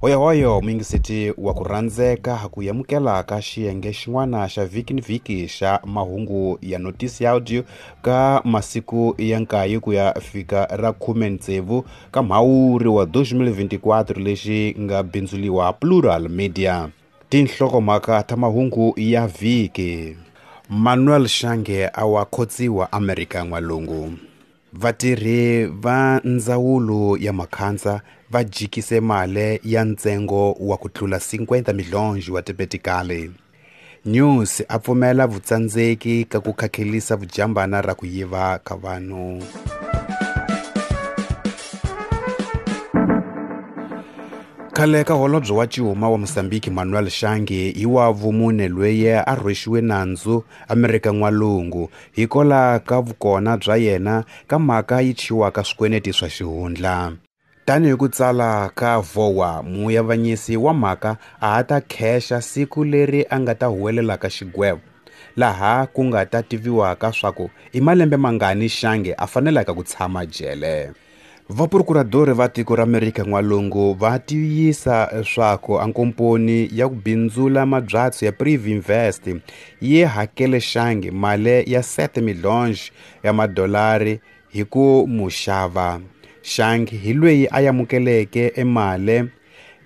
Hoyohoyo muyingiseti wa ku rhandzeka ku yamukela ka xiyenge xin'wana xa vhiki ni vhiki xa mahungu ya notisi ya audio ka masiku ya 9 ku ya fika ra 16 ka mhawuri wa 2024 lexi nga bindzuliwa Plural Media. Tinhlokomhaka ta mahungu ya vhiki. Manuel Shange a wa khotsiwa Amerika N'walungu. Vatirhi va ndzawulo ya Makhandza va jikise mali ya ntsengo wa ku tlula 50 milhonji wa tipetikali. News a pfumela vutsandzeki ka ku khakhelisa vujambana ra ku yiva ka vanhu. Khale ka holobye wa Cihuma wa Mozambique Manuel Shange hi wa vumune loyi a rhwexiwe nandzu Amerika N'walungu hikola ka vukona bya yena ka mhaka yi thyiwaka swikweleti swa xihundla. Tanihi ku tsala ka VOA, muyavanyisi wa mhaka a ha ta khexa siku leri a nga ta huwelelaka xigwevo, laha ku nga ta tiviwaka swaku i malembe mangani Shange a fanelaka ku tshama jele. Vaprokuradori va tiko ra Amerika N'walungu va tiyisa swaku a nkomponi ya ku bindzula mabyatso ya Privinvest yi hakele Shange mali ya 7 milhonji ya madolari hi ku mu xava. Shange hi loyi a amukeleke emali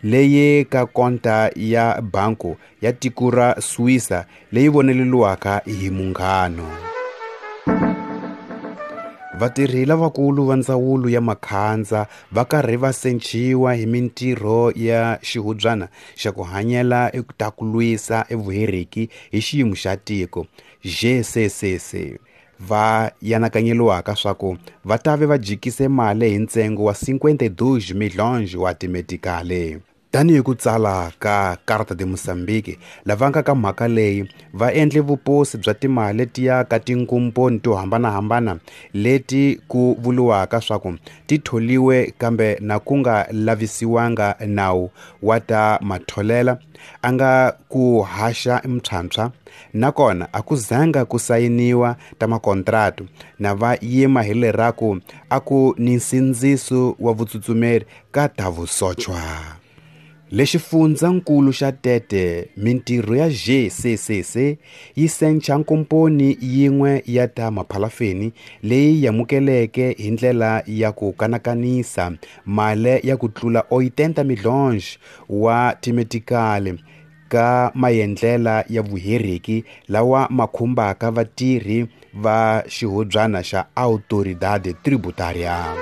leyi ka konta ya banku ya tiko ra Suisa leyi voneleriwaka hi munghano. Vatirhi lavakulu va ndzawulo ya Makhandza va karhi va sechiwa hi mintirho ya xihubyana xa ku hanyela ta ku lwisa evuheriki hi xiyimo xa tiko GCCC. Va yanakanyeliwaka swaku va tave va jikise mali hi ntsengo wa 52 milhonji wa timetikali. Tanihi ku tsala ka Carta de Mozambique, lava nga ka mhaka leyi va endle vuposi bya timali letiya ka tinkomponi to hambanahambana leti ku vuriwaka swaku ti tholiwe kambe na ku nga lavisiwanga nawu wa ta matholela a nga ku haxa mpshampsha, nakona a ku zanga ku sayiniwa ta makontratu na va yima hi leraku a ku ni nsindziso wa vutsutsumeri ka ta vusochwa. Lexifundzankulu xa Tete, mintirho ya GCCC yi sencha nkomponi yin'we ya ta maphalafeni leyi yamukeleke hi ndlela ya ku kanakanisa mali ya ku tlula 80 milhonji wa timetikali ka maendlela ya vuheriki lawa ma khumbaka vatirhi va xihubyana xa Autoridade Tributária.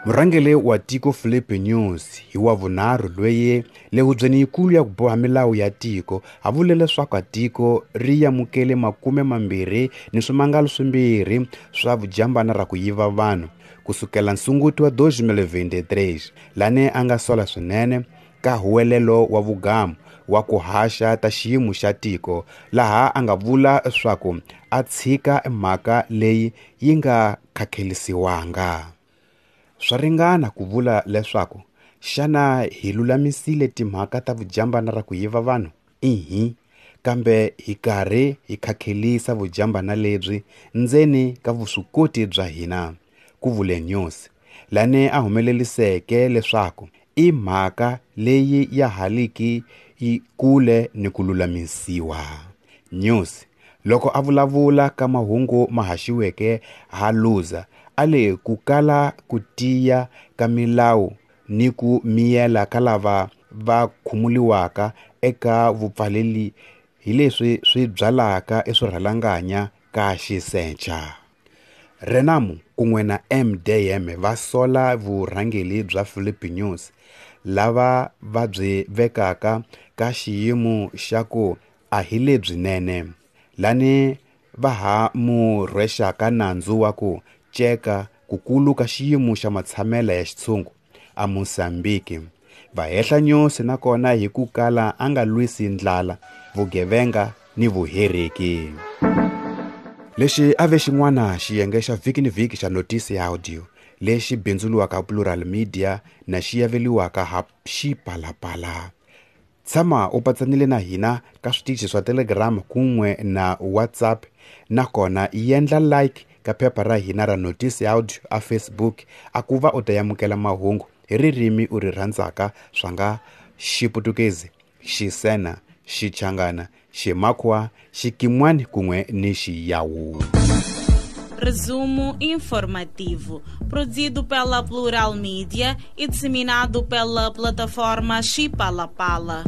Murhangeri wa tiko Filipe Nyusi hi wa vunharhu loyi le hubyeni yikulu ya ku boha milawu ya tiko a vule leswaku tiko ri amukele 20 ni swimangalo swimbirhi swa vujambana ra ku yiva vanhu kusukela nsunguti wa 2023, lane a nga sola swinene ka huwelelo wa vugamu wa ku haxa ta xiyimo xa tiko, laha a nga vula swaku a tshika mhaka leyi yi nga khakhelisiwanga. Swa ringana ku vula leswaku xana hi lulamisile timhaka ta vujambana ra ku yiva vanhu? Ihi, kambe hi karhi hi khakhelisa vujambana lebyi ndzeni ka vuswikoti bya hina, ku vule Nyusi, lane a humeleliseke leswaku i mhaka leyi ya haliki yi kule ni ku lulamisiwa. Nyusi loko a vulavula ka mahungu ma haxiweke ha Luza a le ku kala ku tiya ka milawu ni ku miyela ka lava va khumuliwaka eka vupfaleli hi leswi swi byalaka eswirhalanganya ka xisecha. Renamo kun'we na MDM va sola vurhangeri bya Filipe Nyusi lava va byi vekaka ka xiyimo xa ku a hi lebyinene, lani va ha mu rhwexaka nandzu wa ku ceka ku kulu ka xiyimo xa matshamela ya xitshungu a Mozambique. Va hehla Nyusi nakona hi ku kala a nga lwisi ndlala, vugevenga ni vuheriki. Lexi a ve xin'wana xiyenge xa vhiki ni vhiki xa notisi ya audio lexi bindzuriwaka Plural Media na xi yaveliwaka ha Xipalapala. Tshama u patsanile na hina ka switichi swa Telegram kun'we na WhatsApp, nakona yendla like ka phepha ra hina ra notisi audio a Facebook a ku va u ta yamukela mahungu Hi ririmi u ri rhandzaka swa nga Xiputukezi, Xisena, Xichangana, Ximakhuwa, Xikimwani kun'we ni Xiyawu. Resumo informativo, produzido pela Plural Mídia e disseminado pela plataforma Chipalapala.